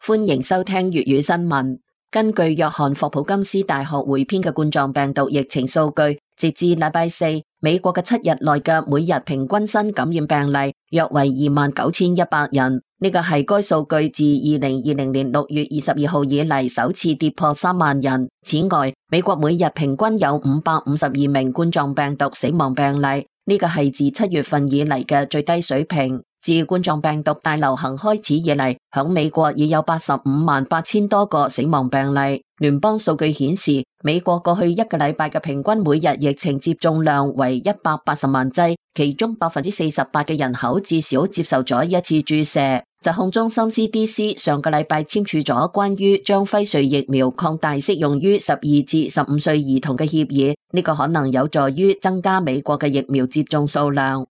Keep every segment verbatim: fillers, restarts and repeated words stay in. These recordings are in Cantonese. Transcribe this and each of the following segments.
歡迎收聽粵語新聞。根據約翰霍普金斯大學匯編嘅冠狀病毒疫情數據，截至禮拜四，美國嘅七日內嘅每日平均新感染病例約為二萬九千一百人，呢個係該數據自二零二零年六月二十二號以嚟首次跌破三萬人。此外，美國每日平均有五百五十二名冠狀病毒死亡病例，呢個係自七月份以嚟嘅最低水平。自冠狀病毒大流行開始以嚟，響美國已有八十五萬八千多個死亡病例。聯邦數據顯示，美國過去一個禮拜嘅平均每日疫情接種量為一百八十萬劑，其中百分之四十八嘅人口至少接受咗一次注射。疾控中心 C D C 上個禮拜簽署咗關於將輝瑞疫苗擴大適用於十二至十五歲兒童嘅協議，呢個可能有助於增加美國嘅疫苗接種數量。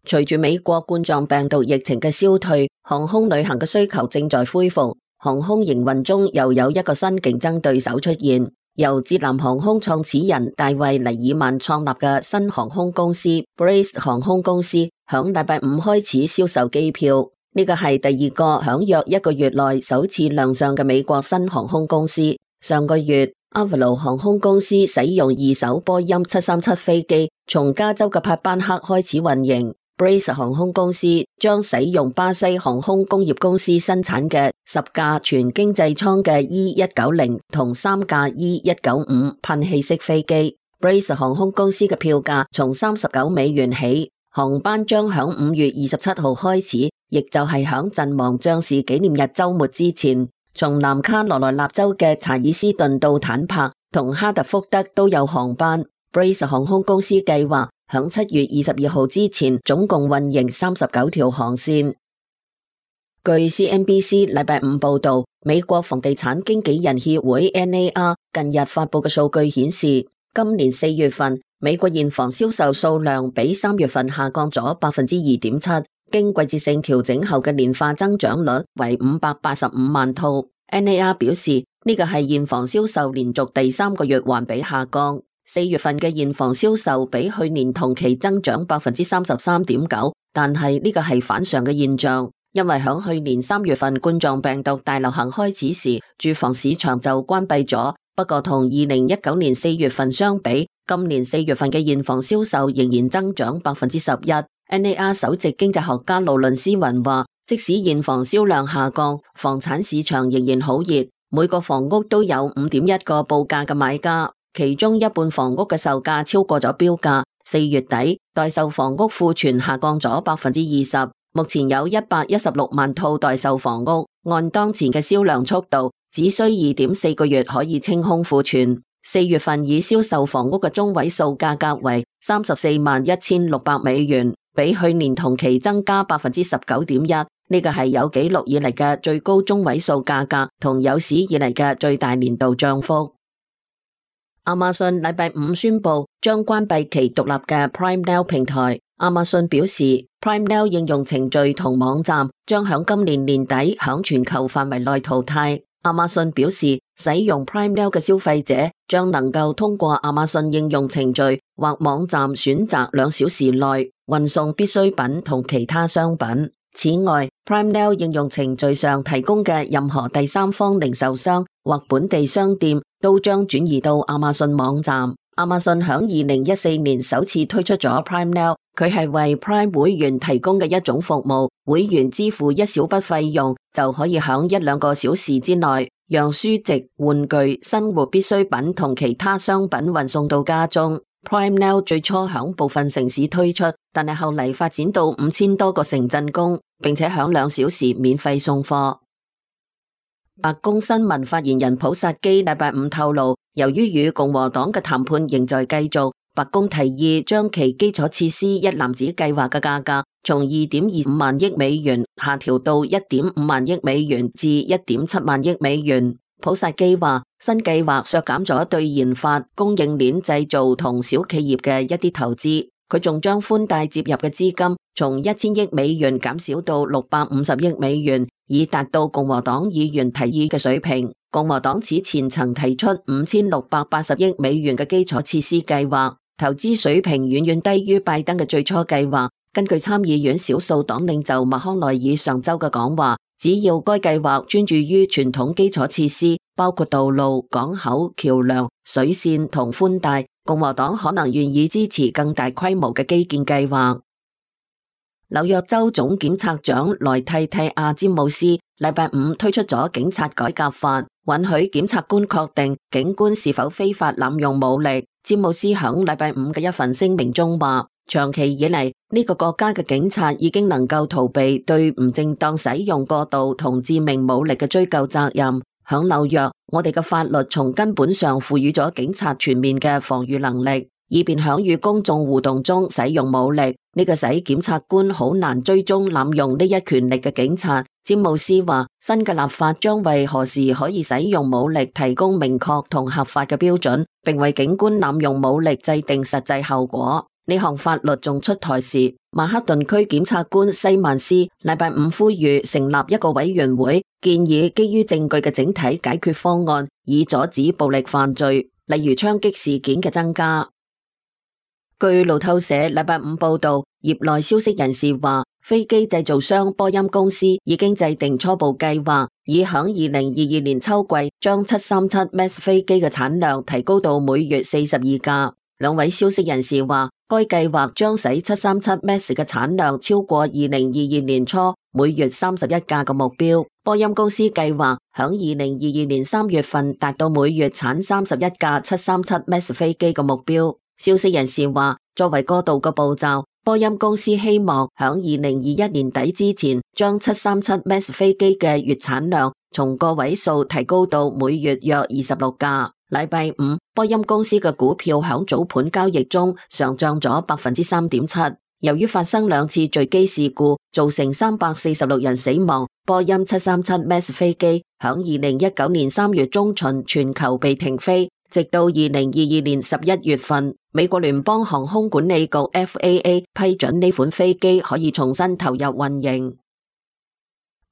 隨住美國冠狀病毒疫情嘅消退，航空旅行嘅需求正在恢復，航空營運中又有一個新競爭對手出現。由捷藍航空創始人大衛尼爾曼創立嘅新航空公司 Brace 航空公司，響禮拜五開始銷售機票，呢個係第二個響約一個月內首次亮相嘅美國新航空公司。上個月，阿瓦羅航空公司使用二手波音七三七飛機，從加州嘅帕班克開始運營。Brace 航空公司將使用巴西航空工業公司生產嘅十架全經濟艙嘅 E 一九零同三架 E 一九五噴氣式飛機。Brace 航空公司嘅票價從三十九美元起，航班將響五月二十七號開始，亦就係響陣亡將士紀念日周末之前，從南卡羅來納州嘅查爾斯頓到坦帕同哈特福德都有航班。Brace 航空公司計劃響七月二十二號之前，總共運營三十九條航線。據 C N B C 禮拜五報道，美國房地產經紀人協會 N A R 近日發佈嘅數據顯示，今年四月份美國現房銷售數量比三月份下降咗百分之二點七，經季節性調整後嘅年化增長率為五百八十五萬套。N A R 表示，呢個係現房銷售連續第三個月環比下降。四月份嘅現房銷售比去年同期增長百分之三十三點九，但係呢個係反常嘅現象，因為響去年三月份冠狀病毒大流行開始時，住房市場就關閉咗。不過同二零一九年四月份相比，今年四月份嘅現房銷售仍然增長百分之十一。N A R 首席經濟學家勞倫斯雲話，即使現房銷量下降，房產市場仍然好熱，每個房屋都有五點一個報價嘅買家。其中一半房屋嘅售價超過咗標價。四月底待售房屋庫存下降咗百分之二十，目前有一百一十六萬套待售房屋，按當前嘅銷量速度，只需二點四個月可以清空庫存。四月份已銷售房屋嘅中位數價格為三十四萬一千六百美元，比去年同期增加百分之十九點一，呢個係有紀錄以嚟嘅最高中位數價格，同有史以嚟嘅最大年度漲幅。亞馬遜禮拜五宣布將關閉其獨立嘅 Prime Now 平台。亞馬遜表示 ，Prime Now 應用程序同網站將響今年年底響全球範圍內淘汰。亞馬遜表示，使用 Prime Now 嘅消費者將能夠通過亞馬遜應用程序或網站選擇兩小時內運送必需品同其他商品。此外 ，Prime Now 應用程序上提供嘅任何第三方零售商或本地商店都將轉移到亞馬遜網站。亞馬遜響二零一四年首次推出咗 Prime Now， 佢係為 Prime 會員提供嘅一種服務，會員支付一小筆費用就可以響一兩個小時之內，讓書籍、玩具、生活必需品同其他商品運送到家中。Prime Now 最初響部分城市推出，但係後嚟發展到五千多個城鎮工，並且響兩小時免費送貨。白宮新聞發言人普薩基禮拜五透露，由於與共和黨嘅談判仍在繼續，白宮提議將其基礎設施一籃子計劃嘅價格從二點二五萬億美元下調到一點五萬億美元至一點七萬億美元。普薩基話，新計劃削減咗對研發、供應鏈製造同小企業嘅一啲投資。佢仲將寬帶接入嘅資金從一千億美元減少到六百五十億美元，以達到共和黨議員提議嘅水平。共和黨此前曾提出五千六百八十億美元嘅基礎設施計劃，投資水平遠遠低於拜登嘅最初計劃，根據參議院少數黨領袖麥康奈爾上週嘅講話，只要該計劃專注於傳統基礎設施，包括道路、港口、橋梁、水線同寬帶，共和黨可能願意支持更大規模嘅基建計劃。紐約州總檢察長萊蒂蒂亞詹姆斯禮拜五推出咗警察改革法，允許檢察官確定警官是否非法濫用武力。詹姆斯響禮拜五嘅一份聲明中話，長期以嚟呢個國家嘅警察已經能夠逃避對唔正當使用過度同致命武力嘅追究責任。響紐約，我哋嘅法律從根本上賦予咗警察全面嘅防禦能力，以便響與公眾互動中使用武力。呢個使檢察官好難追蹤濫用呢一權力嘅警察。詹姆斯話，新嘅立法將為何時可以使用武力提供明確同合法嘅標準，並為警官濫用武力制定實際後果。呢項法律仲出台時，曼克頓區檢察官西曼斯禮拜五呼籲成立一個委員會，建議基於證據嘅整體解決方案，以阻止暴力犯罪，例如槍擊事件嘅增加。據路透社禮拜五報道，業內消息人士話，飛機製造商波音公司已經制定初步計劃，以響二零二二年秋季將七三七 Max 飛機嘅產量提高到每月四十二架。兩位消息人士話，該計劃將使七三七 Max 嘅產量超過二零二二年初每月三十一架嘅目標。波音公司計劃響二零二二年三月份達到每月產三十一架七三七 Max 飛機嘅目標。消息人士話，作為過渡嘅步驟，波音公司希望響二零二一年底之前，將七三七 Max 飛機嘅月產量從個位數提高到每月約二十六架。禮拜五，波音公司嘅股票響早盤交易中上漲咗百分之三點七。由於發生兩次墜機事故，造成三百四十六人死亡，波音七三七 Max 飛機響二零一九年三月中旬全球被停飛，直到二零二二年十一月份，美國聯邦航空管理局 F A A 批准呢款飛機可以重新投入運營。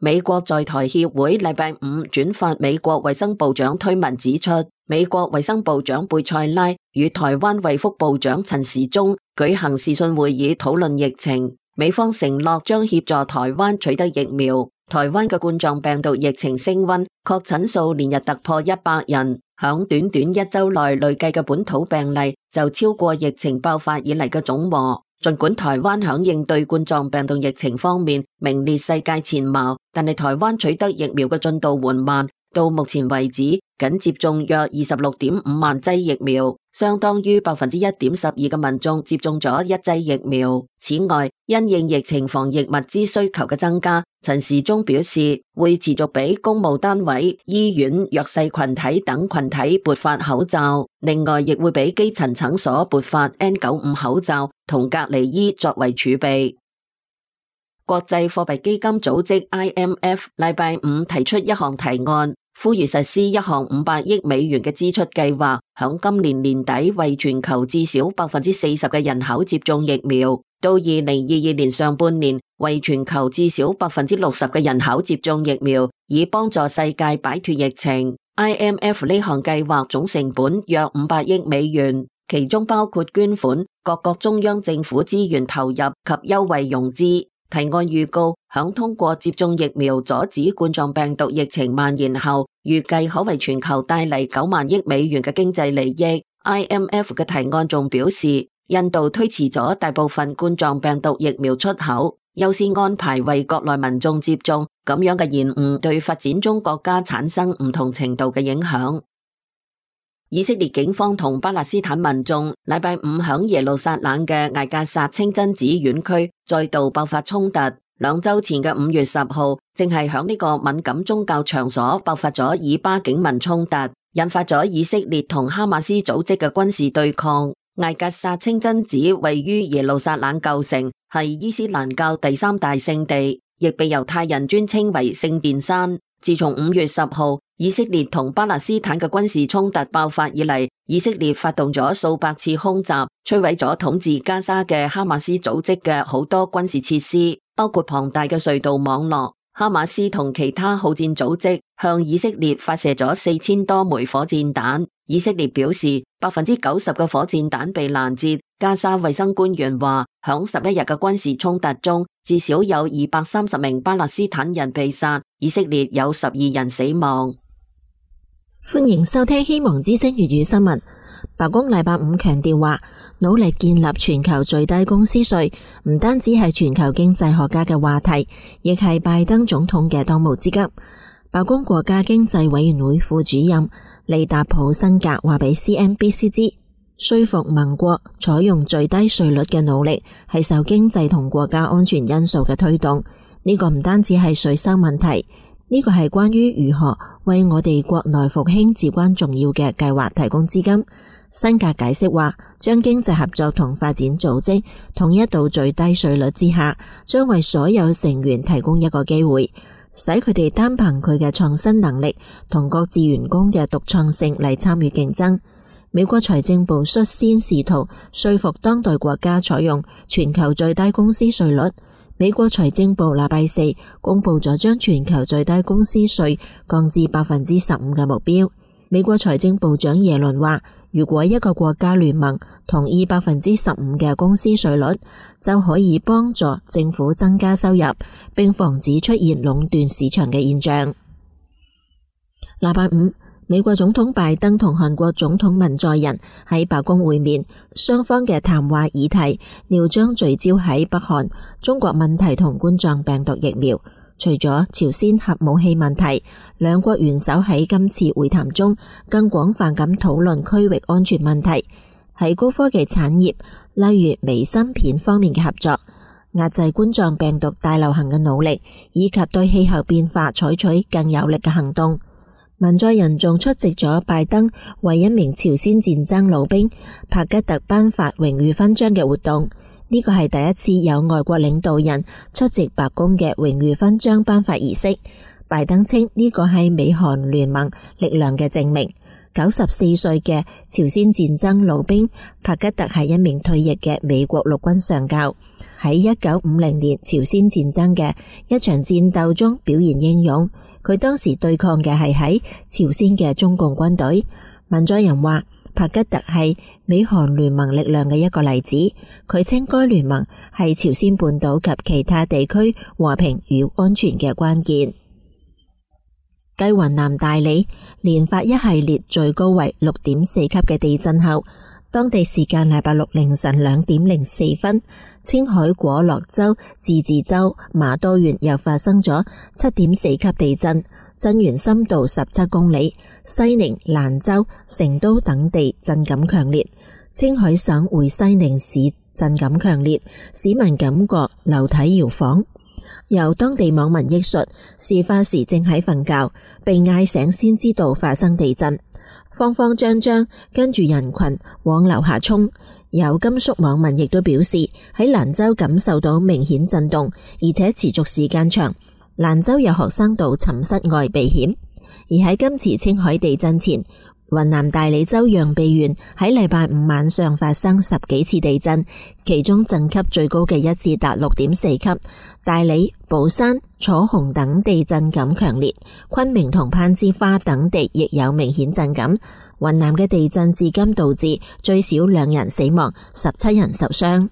美國在台協會禮拜五轉發美國衛生部長推文指出，美國衛生部長貝塞拉與台灣衛福部長陳時中舉行視訊會議討論疫情，美方承諾將協助台灣取得疫苗。台灣嘅冠狀病毒疫情升溫，確診數連日突破一百人，響短短一周內累計嘅本土病例就超過疫情爆發以嚟嘅總和。儘管台灣響應對冠狀病毒疫情方面名列世界前茅，但係台灣取得疫苗嘅進度緩慢，到目前為止僅接種約二十六點五萬劑疫苗，相當於百分之一點十二嘅民眾接種咗一劑疫苗。此外，因應疫情防疫物資需求嘅增加，陳時中表示會持續俾公務單位、醫院、弱勢群體等群體撥發口罩，另外亦會俾基層診所撥發 N 九十五 口罩同隔離衣作為儲備。國際貨幣基金組織 I M F 禮拜五提出一項提案，呼籲實施一項五百億美元嘅支出計劃，響今年年底為全球至少百分之四十嘅人口接種疫苗，到二零二二年上半年為全球至少百分之六十嘅人口接種疫苗，以幫助世界擺脫疫情。I M F 呢項計劃總成本約五百億美元，其中包括捐款、各國中央政府資源投入及優惠融資。提案預告，響通過接種疫苗阻止冠狀病毒疫情蔓延後，預計可為全球帶嚟九萬億美元嘅經濟利益。I M F 嘅提案仲表示，印度推遲咗大部分冠狀病毒疫苗出口，優先安排為國內民眾接種，咁樣嘅延誤對發展中國家產生唔同程度嘅影響。以色列警方同巴勒斯坦民眾禮拜五響耶路撒冷嘅艾格薩清真寺院區再度爆發衝突。兩周前嘅五月十號，正係響呢個敏感宗教場所爆發咗以巴警民衝突，引發咗以色列同哈馬斯組織嘅軍事對抗。艾格薩清真寺位於耶路撒冷舊城，係伊斯蘭教第三大聖地，亦被猶太人尊稱為聖殿山。自從五月十號以色列同巴勒斯坦嘅軍事衝突爆發以嚟，以色列發動咗數百次空襲，摧毀咗統治加沙嘅哈馬斯組織嘅好多軍事設施，包括龐大嘅隧道網絡。哈馬斯同其他好戰組織向以色列發射咗四千多枚火箭彈。以色列表示，百分之九十嘅火箭彈被攔截。加沙衛生官員話，響十一日嘅軍事衝突中，至少有二百三十名巴勒斯坦人被殺，以色列有十二人死亡。歡迎收聽希望之聲粵語新聞。白宮禮拜五強調話，努力建立全球最低工資稅唔單止係全球經濟學家嘅話題，亦係拜登總統嘅當務之急。白宮國家經濟委員會副主任利達普辛格話俾 C N B C 知，說服盟國採用最低稅率嘅努力係受經濟同國家安全因素嘅推動。呢個唔單止係稅收問題，呢個係關於如何為我哋國內復興至關重要嘅計劃提供資金。辛格解釋話，將經濟合作同發展組織統一到最低稅率之下，將為所有成員提供一個機會，使佢哋單憑佢嘅創新能力同各自員工嘅獨創性嚟參與競爭。美國財政部率先試圖說服當代國家採用全球最低工資稅率。美國財政部禮拜四公布咗將全球最低工資稅降至百分之十五嘅目標。美國財政部長耶倫話，如果一個國家聯盟同意百分之十五嘅工資稅率，就可以幫助政府增加收入，並防止出現壟斷市場嘅現象。禮拜五，美國總統拜登同韓國總統文在寅喺白宮會面，雙方嘅談話議題料將聚焦喺北韓、中國問題同冠狀病毒疫苗。除咗朝鮮核武器問題，兩國元首喺今次會談中更廣泛咁討論區域安全問題，喺高科技產業，例如微芯片方面嘅合作，壓制冠狀病毒大流行嘅努力，以及對氣候變化採取更有力嘅行動。文在寅仲出席咗拜登為一名朝鮮戰爭老兵帕吉特頒發榮譽勳章嘅活動。呢個係第一次有外國領導人出席白宮嘅榮譽勳章頒發儀式。拜登稱呢個係美韓聯盟力量嘅證明。九十四歲嘅朝鮮戰爭老兵帕吉特係一名退役嘅美國陸軍上校，喺一九五零年朝鮮戰爭嘅一場戰鬥中表現英勇。佢當時對抗嘅係喺朝鮮嘅中共軍隊。文在寅話，帕吉特係美韓聯盟力量嘅一個例子。佢稱該聯盟係朝鮮半島及其他地區和平與安全嘅關鍵。繼雲南大理連發一系列最高為六點四級嘅地震後，當地時間禮拜六凌晨兩點零四分，青海果洛州自治州馬多縣又發生咗七點四級地震，震源深度十七公里。西寧、蘭州、成都等地震感強烈，青海省會西寧市震感強烈，市民感覺樓體搖晃。由當地網民憶述，事發時正喺瞓覺，被嗌醒先知道發生地震，慌慌張張跟住人群往樓下衝。有甘肅網民亦都表示，喺蘭州感受到明顯震動，而且持續時間長。蘭州有學生到寢室外避險。而喺今次青海地震前，雲南大理州陽痿縣喺禮拜五晚上發生十幾次地震，其中震級最高嘅一次達六點四級。大理、保山、楚雄等地震感強烈，昆明同攀枝花等地亦有明顯震感。雲南嘅地震至今導致最少兩人死亡，十七人受傷。